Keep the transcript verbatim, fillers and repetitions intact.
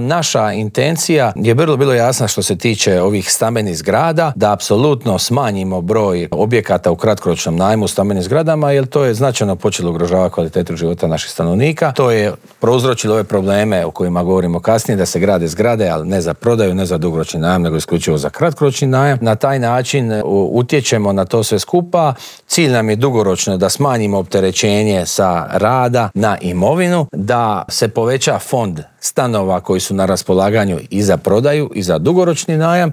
Naša intencija je vrlo bilo jasna što se tiče ovih stambenih zgrada, da apsolutno smanjimo broj objekata u kratkoročnom najmu u stambenim zgradama, jer to je značajno počelo ugrožavati kvalitetu života naših stanovnika. To je prouzročilo ove probleme o kojima govorimo kasnije, da se grade zgrade, ali ne za prodaju, ne za dugoročni najam, nego isključivo za kratkoročni najam. Na taj način utječemo na to sve skupa. Cilj nam je dugoročno da smanjimo opterećenje sa rada na imovinu, da se poveća fond stanova koji su na raspolaganju i za prodaju i za dugoročni najam.